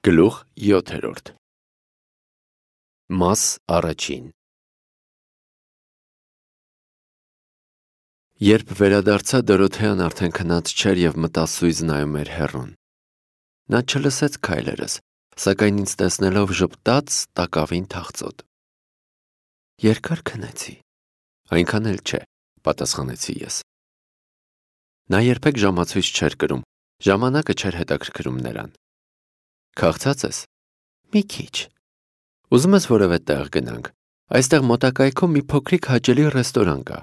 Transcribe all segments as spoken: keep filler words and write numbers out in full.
Գլուխ յոթերորդ Մաս առաջին Երբ վերադարձա, Դորոթեան արդեն քնած չէր և մտասույզ նայում էր հեռուն։ Նա չլսեց քայլերս, սակայն ինձ տեսնելով ժպտաց տակավին թախծոտ։ Երկար քնեցի։ Այնքան էլ չէ, պատասխանեցի ես։ Նա երբեք ժամացույց չէր կրում, ժամանակը չէր հետաքրքրում նրան։ Քաղցած ես։ Մի քիչ։ Ուզում ես որևէ տեղ գնանք։ Այստեղ մոտակայքում մի փոքրիկ հաճելի ռեստորան կա։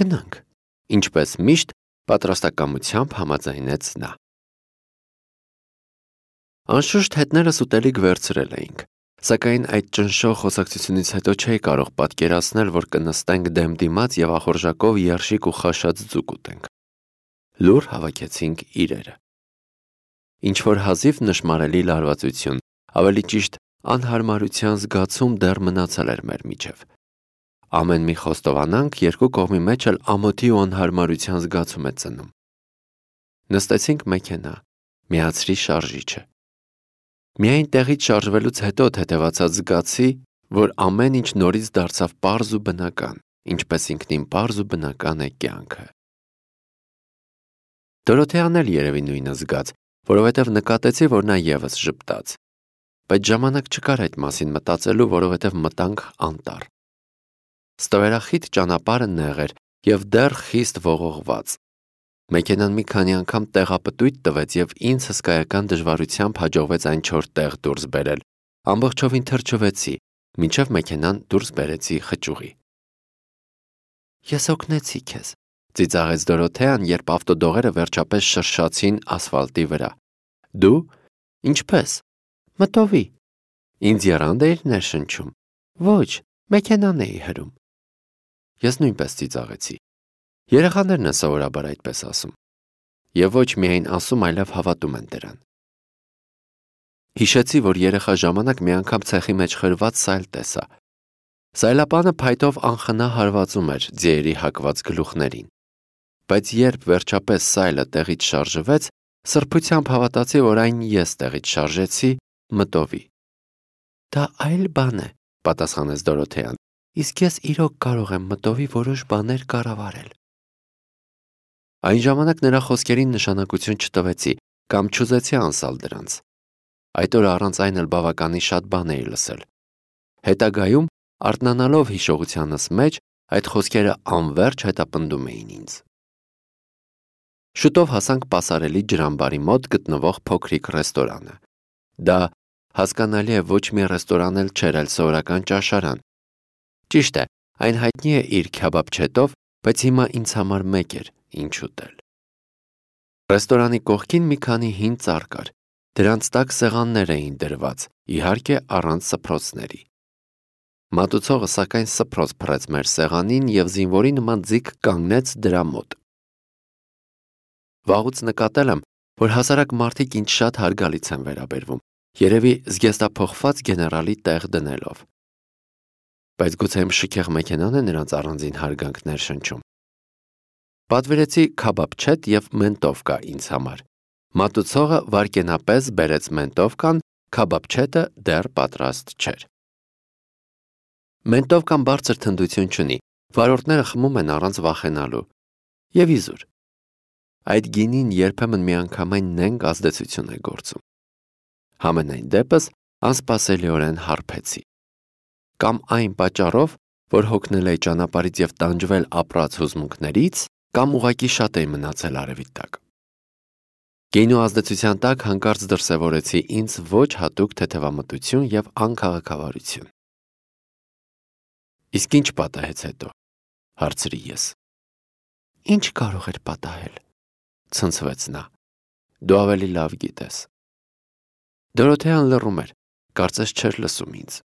Գնանք։ Ինչպես միշտ, պատրաստակամությամբ համաձայնեց նա։ Անշուշտ հետներս ուտելիք վերցրել էինք, սակայն այդ ճնշող խոսակցությունից հետո չէի կարող պատկերացնել, որ կնստենք դեմ դիմաց և ախորժակով երշիկ ու խաշած ձուկ ուտենք։ Լուռ հավաքեցինք իրերը։ Ինչ-որ հազիվ նշմարելի լարվածություն, ավելի ճիշտ անհարմարության զգացում դեռ մնացել էր մեր միջև։ Ամեն մի խոստովանանք երկու կողմի մեջ էլ ամոթի ու անհարմարության զգացում է ծնում։ Նստեցինք մեքենա, միացրի շարժիչը։ Միայն տեղից շարժվելուց հետո թեթևացած զգացի, որ ամեն ինչ նորից դարձավ պարզ ու բնական, ինչպես ինքնին պարզ ու բնական է կյանքը։ Դորոթեան էլ երևի նույնը զգաց, որովհետև նկատեցի, որ նա ևս ժպտաց, բայց ժամանակ չկար այդ մասին մտածելու, որովհետև մտանք անտառ։ Ստվերախիտ ճանապարհը նեղ էր և դեռ խիստ ողողված։ Մեքենան մի քանի անգամ տեղապտույտ տվեց և ինձ հսկայական դժվարությամբ հաջողվեց այն չոր տեղ դուրս բերել, ամբողջովին թրջվեցի, մինչև մեքենան դուրս բերեցի խճուղի։ Ես օգնեցի քեզ, ծիծաղեց Դորոթեան, երբ ավտոդողերը վերջապես շրշացին ասֆալտի վրա։ Դու, ինչպես, մտովի, ինձ եռանդ էիր ներշնչում, ոչ, մեքենան էի հրում։ Ես նույնպես ծիծաղեցի։ Երեխաներն են սովորաբար այդպես ասում։ Եվ ոչ միայն ասում, այլև հավատում են դրան։ Հիշեցի, որ երեխա ժամանակ մի անգամ ցեխի մեջ խրված սայլ տեսա։ Սայլապանը փայտով անխնա հարվածում էր ձիերի հակված գլուխներին։ Բայց երբ վերջապես սայլը տեղից շարժվեց, սրբությամբ հավատացի, որ այն ես տեղից շարժեցի, մտովի։ Դա այլ բան է, պատասխանեց Դորոթեան, իսկ ես իրոք կարող եմ մտովի որոշ բաներ կառավարել։ Այն ժամանակ նրա խոսքերին նշանակություն չտվեցի կամ չուզեցի անսալ դրանց։ Այդ օրը առանց այն էլ բավականին շատ բան էի լսել։ Հետագայում, արթնանալով հիշողությանս մեջ, այդ խոսքերը անվերջ հետապնդում էին ինձ։ Շուտով հասանք պասարելի ջրամբարի մոտ գտնվող փոքրիկ ռեստորանը։ Դա, հասկանալի է, ոչ մի ռեստորան էլ չէր, այլ սովորական ճաշարան։ Ճիշտ է, այն հայտնի է իր քյաբաբչետով, բայց հիմա ինձ համար մեկ էր, ինչ ուտել։ Ռեստորանի կողքին մի քանի հին ծառ կար, դրանց տակ սեղաններ էին դրված, իհարկե առանց սփռոցների։ Մատուցողը սակայն սփռոց փռեց մեր սեղանին և զինվորի նման ձիգ կանգնեց դրա մոտ։ Վաղուց նկատել եմ, որ հասարակ մարդիկ ինձ շատ հարգալից են վերաբերվում, երևի զգեստափոխված գեներալի տեղ դնելով։ Բայց գուցե իմ շքեղ մեքենան է նրանց առանձին հարգանք ներշնչում։ Պատվիրեցի քաբաբչետ և մենտովկա ինձ համար։ Մատուցողը վայրկենապես բերեց մենտովկան, քաբաբչետը դեռ պատրաստ չէր։ Մենտովկան բարձր թնդություն չունի, վարորդները խմում են առանց վախենալու։ Եվ իզուր։ Այդ գինին երբեմն միանգամայն նենգ ազդեցություն է գործում։ Համենայն դեպս անսպասելիորեն հարբեցի։ Կամ այն պատճառով, որ հոգնել էի ճանապարհից և տանջվել ապրած հուզմունքներից, կամ ուղղակի շատ էի մնացել արևի տակ։ Գինու ազդեցության տակ հանկարծ դրսևորեցի ինձ ոչ հատուկ թեթևամտություն և անքաղաքավարություն։ Իսկ ինչ պատահեց հետո, հարցրի ես։ Ինչ կարող էր պատահել, ցնցվեց նա։ Դու ավելի լավ գիտես։ Դորոթեան լռում էր, կարծես չէր լսում ինձ։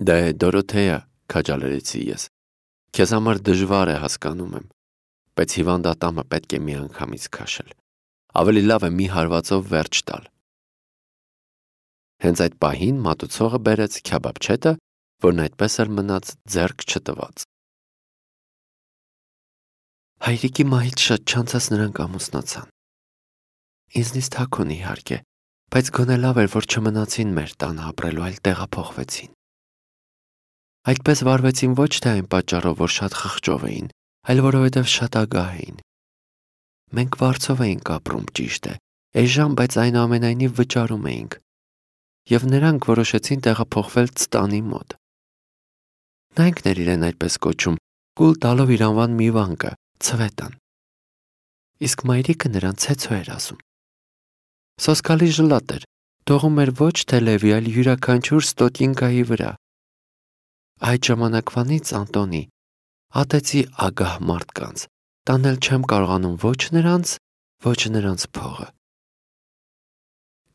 Դե Դորոթեա, քաջալերեցի ես, քեզ համար դժվար է, հասկանում եմ, բայց հիվանդատամը պետք է միանգամից քաշել։ Ավելի լավ է մի հարվածով վերջ տալ։ Հենց այդ պահին մատուցողը բերեց քյաբաբչետը, որն այդպես էլ մնաց ձեռք չտված։ Հայրիկի մահից շատ չանցած նրանք ամուսնացան։ Ինձնից թաքուն իհարկե, բայց գոնե լավ էր, որ չմնացին մեր տանը ապրելու, այլ տեղափոխվեցին։ Այդպես վարվեցին ոչ թե այն պատճառով, որ շատ խղճով էին, այլ որովհետև շատ ագահ էին։ Մենք վարձով էինք ապրում, ճիշտ է, էժան, բայց այնուամենայնիվ վճարում էինք, և նրանք որոշեցին տեղափոխվել Ծտանի մոտ։ Նա ինքն էր իրեն այդպես կոչում, կուլ տալով իր անվան մի վանկը, Ցվետան։ Իսկ մայրիկը նրան Ցեցո էր ասում։ Սոսկալի ժլատ էր, թողում էր ոչ թե լևի, այլ յուրաքանչյուր ստոտինկայի վրա։ Այդ ժամանակվանից, Անտոնի, ատեցի ագահ մարդկանց, տանել չեմ կարողանում ոչ նրանց, ոչ նրանց փողը։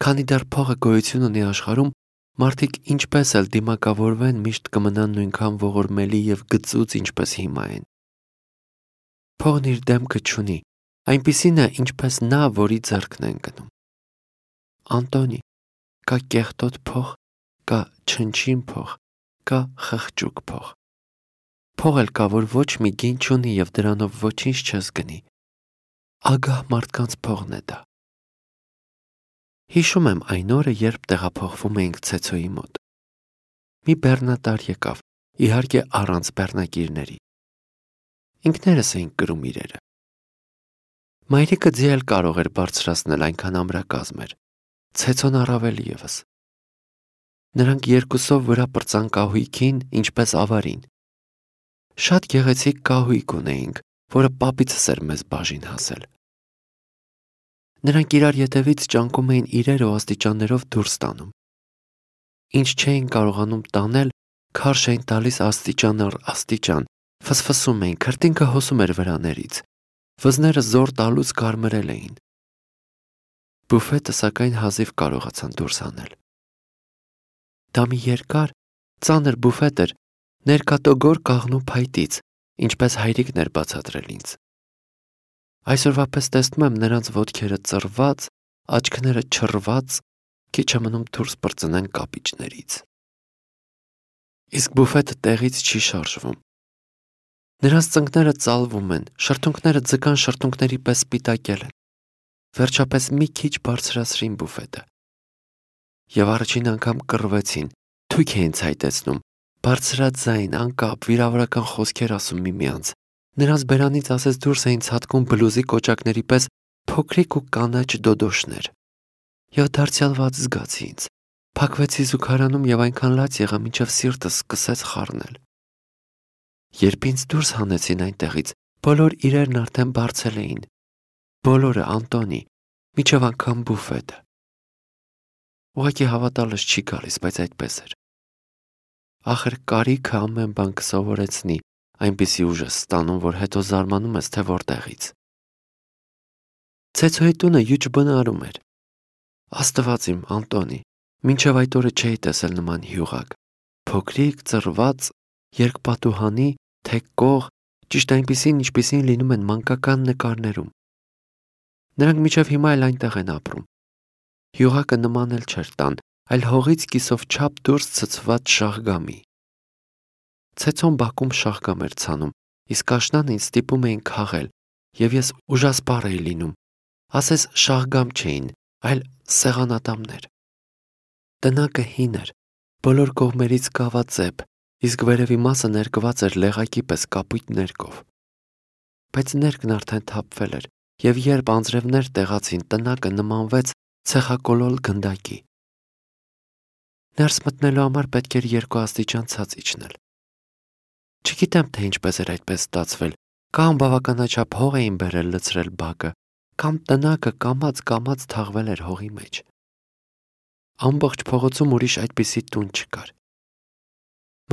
Քանի դեռ փողը գոյություն ունի աշխարհում, մարդիկ ինչպես էլ դիմակավորվեն, միշտ կմնան նույնքան ողորմելի և գծուծ, ինչպես հիմա են։ Փողն իր դեմքը չունի, այնպիսին է, ինչպես նա, որի ձեռքն են գնում։ Անտոնի, կա կեղտոտ փող, կա չնչին փող, կա խղճուկ փող։ Փող էլ կա, որ ոչ մի գին չունի և դրանով ոչինչ չես գնի։ Ագահ մարդկանց փողն է դա։ Հիշում եմ այն օրը, երբ տեղափոխվում էինք Ցեցոյի մոտ։ Մի բեռնատար եկավ, իհարկե առանց բեռնակիրների։ Ինքներս էինք կրում իրերը։ Մայրիկը ձի էլ կարող էր բարձրացնել, այնքան ամրակազմ էր, Ցեցոն առավել ևս։ Նրանք երկուսով վրա պրծան կահույքին, ինչպես ավարին։ Շատ գեղեցիկ կահույք ունեինք, որը պապիցս էր մեզ բաժին հասել։ Նրանք իրար ետևից ճանկում էին իրեր ու աստիճաններով դուրս տանում։ Ինչ չէին կարողանում տանել, քարշ էին տալիս աստիճան առ աստիճան, ֆսֆսում էին, քրտինքը հոսում էր վրաներից, վզները զոր տալուց կարմրել էին։ Բուֆետը սակայն հազիվ կարողացան դուրս հանել։ Դա մի երկար, ծանր բուֆետ էր, ներկատոգոր կաղնու փայտից, ինչպես հայրիկն էր բացատրել ինձ։ Այսօրվա պես տեսնում եմ նրանց ոտքերը ծռված, աչքները չռված, քիչ է մնում դուրս պրծնեն կապիճներից։ Իսկ բուֆետը տեղից չի շարժվում։ Նրանց ծնկները ծալվում են, շրթունքները ձգան շրթունքների պես սպիտակել են։ Վերջապես մի քիչ բարձրացրին բուֆետը։ Եվ առաջին անգամ կռվեցին, թույք էին ցայտեցնում, բարձրաձայն, անկապ, վիրավորական խոսքեր ասում միմյանց։ Նրանց բերանից ասես դուրս էին ցատկում բլուզի կոճակների պես փոքրիկ ու կանաչ դոդոշներ։ Եվ դարձյալ վատ զգացի ինձ։ Փակվեցի զուգարանում և այնքան լաց եղա, մինչև սիրտս սկսեց խառնել։ Երբ ինձ դուրս հանեցին այնտեղից, բոլոր իրերն արդեն բարձել էին։ Բոլորը, Անտոնի, մինչև անգամ բուֆետը։ Ուղղակի հավատալս չի գալիս, բայց այդպես էր։ Ախր կարիքը ամեն բան կսովորեցնի, այնպիսի ուժ ես ստանում, որ հետո զարմանում ես, թե որտեղից։ Ցեցոյի տունը յուջ բնարում էր։ Աստված իմ, Անտոնի, մինչև այդ օրը չէի տեսել նման հյուղակ։ Փոքրիկ, ծռված, երկպատուհանի, թեք կող, ճիշտ այնպիսին, ինչպիսին լինում են մանկական նկարներում։ Նրանք մինչև հիմա էլ այնտեղ են ապրում։ Հյուղակը նման էլ չէր տան, այլ հողից կիսով չափ դուրս ցցված շաղգամի։ Ցեցոն բակում շաղգամ էր ցանում, իսկ աշնանը ինձ ստիպում էին քաղել, և ես ուժասպառ էի լինում, ասես շաղգամ չէին, այլ սեղանատամներ։ Տնակը հին էր, բոլոր կողմերից կավածեպ, իսկ վերևի մասը ներկված էր լեղակի պես կապույտ ներկով։ Բայց ներկն արդեն թափվել էր, և երբ անձրևներ տեղացին, տնակը նմանվեց ցեխակոլոլ գնդակի։ Ներս մտնելու համար պետք էր երկու աստիճան ցած իջնել։ Չգիտեմ, թե ինչպես էր այդպես ստացվել, կամ բավականաչափ հող էին բերել լցրել բակը, կամ տնակը կամաց-կամաց թաղվել էր հողի մեջ։ Ամբողջ փողոցում ուրիշ այդպիսի տուն չկար։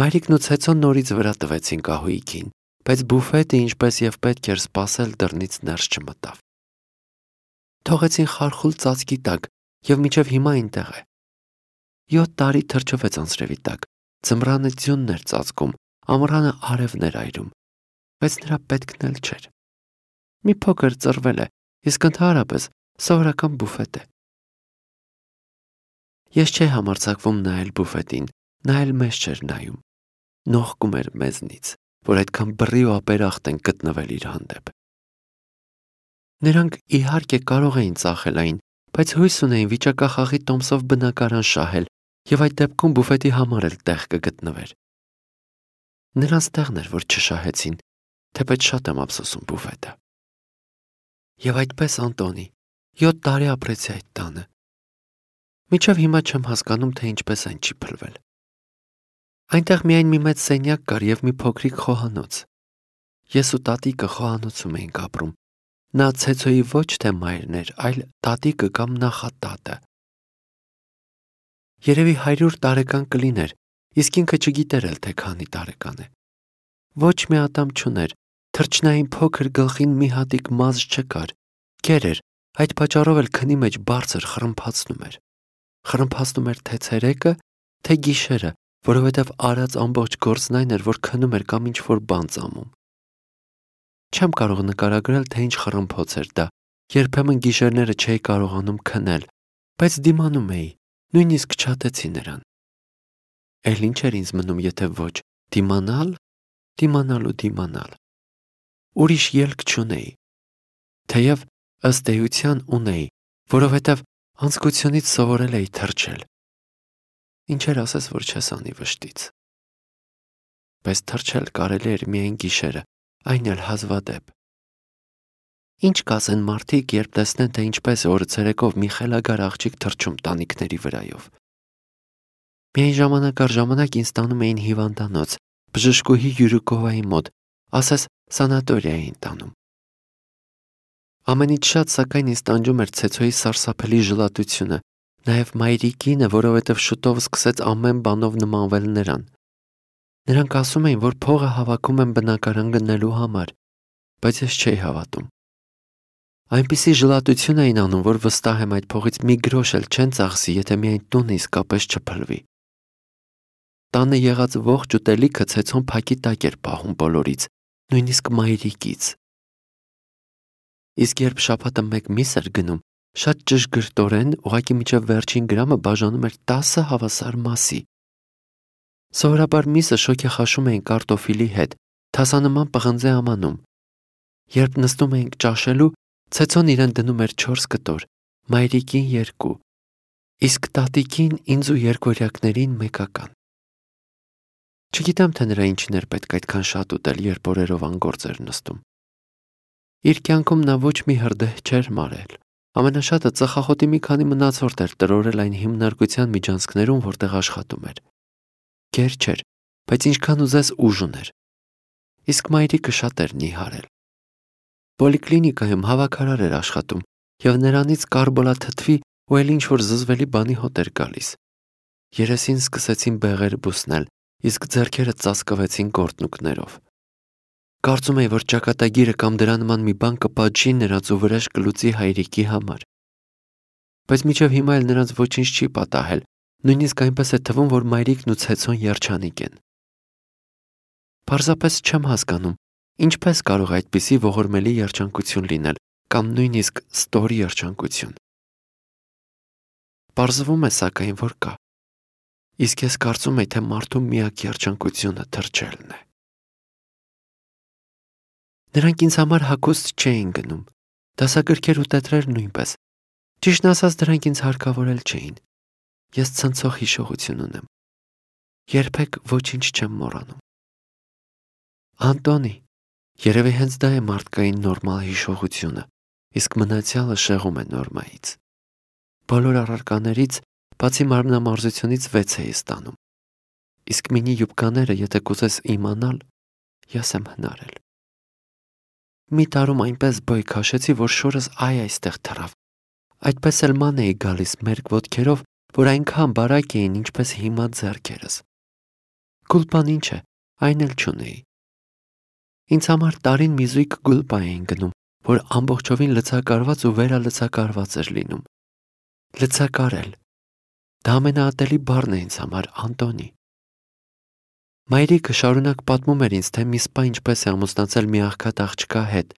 Մայրիկն ու Ցեցոն նորից վրա տվեցին կահույքին, բայց բուֆետը, ինչպես և պետք էր սպասել, դռնից ներս չմտավ։ Թողեցին խարխուլ ծածկի տակ և մինչև հիմա այնտեղ է։ Յոթ տարի թրջվեց անձրևի տակ, ձմռանը ձյունն էր ծածկում, ամռանը արևն էր այրում, բայց նրա պետքն էլ չէր։ Մի փոքր ծռվել է, իսկ ընդհանրապես սովորական բուֆետ է։ Ես չէի համարձակվում նայել բուֆետին, նա էլ մեզ չէր նայում։ Նողկում էր մեզնից, որ այդքան բռի ու ապերախտ են գտնվել իր հանդեպ։ Նրանք իհարկե կարող էին ծախել այն, բայց հույս ունեին վիճակախաղի տոմսով բնակարան շահել եւ այդ դեպքում բուֆետի համար էլ տեղ կգտնվեր։ Նրանց տեղն էր, որ չշահեցին, թեպետ շատ եմ ափսոսում բուֆետը։ Եվ այդպես Անտոնի, յոթ տարի ապրեցի այդ տանը։ Մինչև հիմա չեմ հասկանում, թե ինչպես այն չի փլվել։ Այնտեղ միայն մի մեծ սենյակ կար եւ մի փոքրիկ խոհանոց։ Ես ու տատիկը խոհանոցում էինք ապրում։ Նա Ցեցոյի ոչ թե մայրն էր, այլ տատիկը կամ նախատատը։ Երևի հարյուր տարեկան կլիներ, իսկ ինքը չգիտեր էլ թե քանի տարեկան է։ Ոչ մի ատամ չուներ, թրջնային փոքր գլխին մի հատիկ մազ չկար, կեր էր, այդ պատճառով էլ քնի մեջ բարձր խրմփացնում էր։ Խրմփացնում էր թե ցերեկը, թե գիշերը, որովհետև արած ամբողջ գործն այն էր, որ քնում էր կամ ինչ-որ բան ծամում։ Չեմ կարող նկարագրել, թե ինչ խռմփոց էր դա, երբեմն գիշերները չէի կարողանում քնել, բայց դիմանում էի, նույնիսկ չատեցի նրան։ Էլ ինչ էր ինձ մնում, եթե ոչ դիմանալ, դիմանալ ու դիմանալ։ Ուրիշ ելք չունեի։ Թեև ըստ էության ունեի, որովհետև անձկությունից սովորել էի թրջել։ Ինչեր ասես, որ չես անի վշտից։ Բայց թրջել կարելի էր միայն գիշերը, այն էլ հազվադեպ։ Ինչ կասեն մարդիկ, երբ տեսնեն, թե ինչպես է օրը ցերեկով մի խելագար աղջիկ թրջում տանիքների վրայով։ Միայն ժամանակ առ ժամանակ ինձ տանում էին հիվանդանոց, բժշկուհի Յուրուկովայի մոտ, ասես սանատորիա էին տանում։ Ամենից շատ սակայն ինձ տանջում էր Ցեցոյի սարսափելի ժլատությունը, նաև մայրիկինը, որովհետև շուտով սկսեց ամեն բանով նմանվել նրան։ Նրանք ասում էին, որ փողը հավաքում են բնակարան գնելու համար, բայց ես չէի հավատում։ Այնպիսի ժլատություն էին անում, որ վստահ եմ այդ փողից մի գրոշ էլ չեն ծախսի, եթե միայն տունը իսկապես չփլվի։ Տանը եղած ողջ ուտելիքը Ցեցոն փակի տակ էր պահում բոլորից, նույնիսկ մայրիկից։ Իսկ երբ շաբաթը մեկ միս էր գնում, շատ ճշգրտորեն, ուղղակի մինչև վերջին գրամը բաժանում էր տասը հավասար մասի։ Սովորաբար միսը շոգ է խաշում էին կարտոֆիլի հետ, թասանման պղնձե ամանում։ Երբ նստում էինք ճաշելու, Ցեցոն իրեն դնում էր չորս կտոր, մայրիկին երկու, իսկ տատիկին ինձ ու երկորյակներին մեկական։ Չգիտեմ, թե նրա ինչին էր պետք այդքան շատ ուտել, երբ օրերով անգործ էր նստում։ Իր կյանքում նա ոչ մի հրդեհ չէր մարել։ Ամենաշատը ծխախոտի մի քանի մնացորդ էր տրորել այն հիմնարկության միջանցքներում, որտեղ աշխատում էր։ Գեր չէր, բայց ինչքան ուզես ուժ ուներ։ Իսկ մայրիկը շատ էր նիհարել։ Պոլիկլինիկայում հավաքարար էր աշխատում, եւ նրանից կարբոլաթթվի ու էլ ինչ-որ զզվելի բանի հոտ էր գալիս։ Երեսին սկսեցին բեղեր բուսնել, իսկ ձեռքերը ծածկվեցին կորտնուկներով։ Կարծում էի, որ ճակատագիրը կամ դրա նման մի բան կպատժի նրանց ու վրեժ կլուծի հայրիկի համար։ Բայց մինչև հիմա էլ նրանց ոչինչ չի պատահել, նույնիսկ այնպես է թվում, որ մայրիկն ու Ցեցոն երջանիկ են։ Պարզապես չեմ հասկանում, ինչպես կարող է այդպիսի ողորմելի երջանկություն լինել, կամ նույնիսկ ստոր երջանկություն։ Պարզվում է սակայն, որ կա։ Իսկ ես կարծում եի, թե մարդու միակ երջանկությունը թրջելն է։ Նրանք ինձ համար հագուստ չէին գնում, դասագրքեր ու տետրեր նույնպես։ Ճիշտն ասած, դրանք ինձ հարկավորել չէին։ Ես ցնցող հիշողություն ունեմ։ Երբեք ոչինչ չեմ մոռանում։ Անտոնի, երևի հենց դա է մարդկային նորմալ հիշողությունը, իսկ մնացյալը շեղում է նորմայից։ Բոլոր առարկաներից, բացի մարմնամարզությունից վեց էի ստանում։ Իսկ մինի յուբկաները, եթե կուզես իմանալ, ես եմ հնարել։ Մի տարում այնպես բոյ քաշեցի, որ շորս այ այստեղ թռավ։ Այդպես էլ ման էի գալիս մերկ ոտքերով, որ այնքան բարակ էին, ինչպես հիմա ձեռքերս։ Գուլպան ինչ է, այն էլ չունեի։ Ինձ համար տարին մի զույգ գուլպա էին գնում, որ ամբողջովին լցակարված ու վերալցակարված էր լինում։ Լցակարել։ Դա ամենաատելի բառն է ինձ համար, Անտոնի։ Մայրիկը շարունակ պատմում էր ինձ, թե մի սպա ինչպես է ամուսնացել մի աղքատ աղջկա հետ,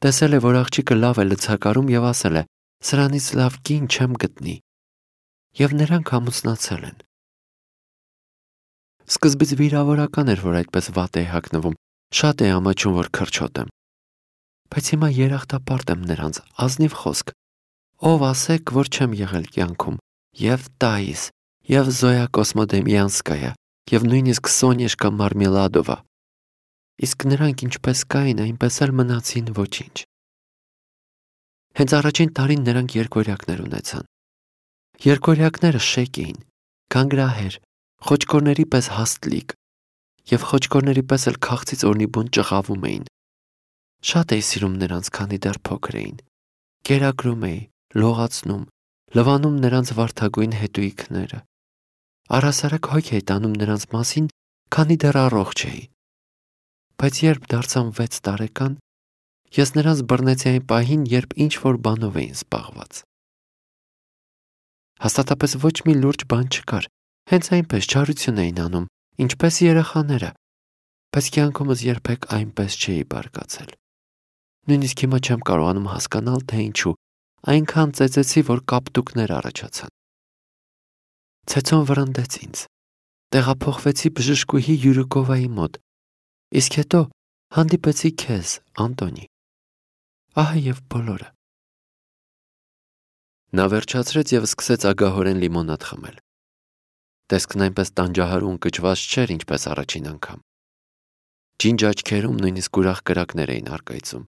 տեսել է, որ աղջիկը լավ է լցակարում եւ ասել է. «Սրանից լավ կին չեմ գտնի»։ Եվ նրանք ամուսնացել են։ Սկզբից վիրավորական էր, որ այդպես վատ էի հագնվում, շատ էի ամաչում, որ քրչոտ եմ։ Բայց հիմա երախտապարտ եմ նրանց, ազնիվ խոսք։ Ով ասեք, որ չեմ եղել կյանքում, եւ Տայիս, եւ Զոյա Կոսմոդեմյանսկայա, եւ նույնիսկ Սոնյեշկա Մարմելադովա։ Իսկ նրանք ինչպես կային, այնպես էլ մնացին ոչինչ։ Հենց առաջին տարին նրանք երկորյակներ ունեցան։ Երկորյակները շեք էին, կանգրահեր, խոճկորների պես հաստլիկ, եւ խոճկորների պես էլ քաղցից օրնի բուն ճղավում էին։ Շատ էի սիրում նրանց, քանի դեռ փոքր էին։ Կերակրում էի, լողացնում, լվանում նրանց վարդագույն հետույքները։ Առհասարակ հոգ էի տանում նրանց մասին, քանի դեռ առողջ էի։ Բայց երբ դարձան վեց տարեկան, ես նրանց բռնեցի այն պահին, երբ ինչ-որ բանով էին զբաղված։ Հաստատապես ոչ մի լուրջ բան չկար, հենց այնպես չարություն էին անում, ինչպես երեխաները, բայց կյանքումս երբեք այնպես չէի բարկացել։ Նույնիսկ հիմա չեմ կարողանում հասկանալ, թե ինչու այնքան ծեծեցի, որ կապտուկներ առաջացան։ Ցեցոն վրընդեց ինձ։ Տեղափոխվեցի բժշկուհի Յուրիկովայի մոտ, իսկ հետո հանդիպեցի քեզ, Անտոնի։ Ահա եւ բոլորը։ Նա վերջացրեց եւ սկսեց ագահորեն լիմոնադ խմել։ Տեսքն այնպես տանջահարուն կճված չէր, ինչպես առաջին անգամ։ Ջինջ աչքերում նույնիսկ ուրախ կրակներ էին առկայծում։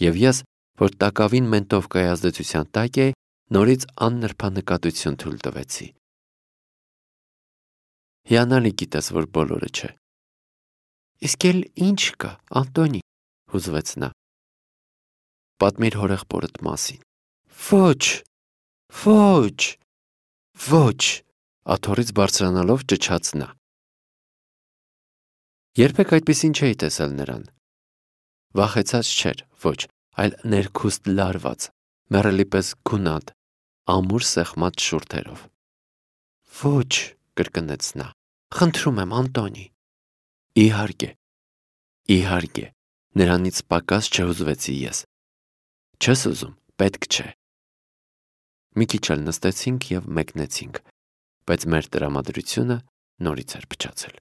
Եվ ես, որ տակավին մենտով կայազդեցության տակ էի, նորից աննրբանկատություն թույլ տվեցի։ Հիանալի գիտես, որ բոլորը չէ։ Իսկ էլ ինչ կա, Անտոնի, հուզվեց նա։ Պատմիր հորեղբորդ մասին։ Ոչ, ոչ, ոչ, աթոռից բարձրանալով ճչաց նա։ Երբեք այդպիսին չէի տեսել նրան։ Վախեցած չէր, ոչ, այլ ներքուստ լարված, մեռելի պես գունատ, ամուր սեղմած շուրթերով։ Ոչ, կրկնեց նա, խնդրում եմ, Անտոնի։ Իհարկե, իհարկե, նրանից պակաս չհուզվեցի ես։ Չես ուզում, պետք չէ։ Մի քիչ էլ նստեցինք եւ մեկնեցինք, բայց մեր տրամադրությունը նորից էր փչացել։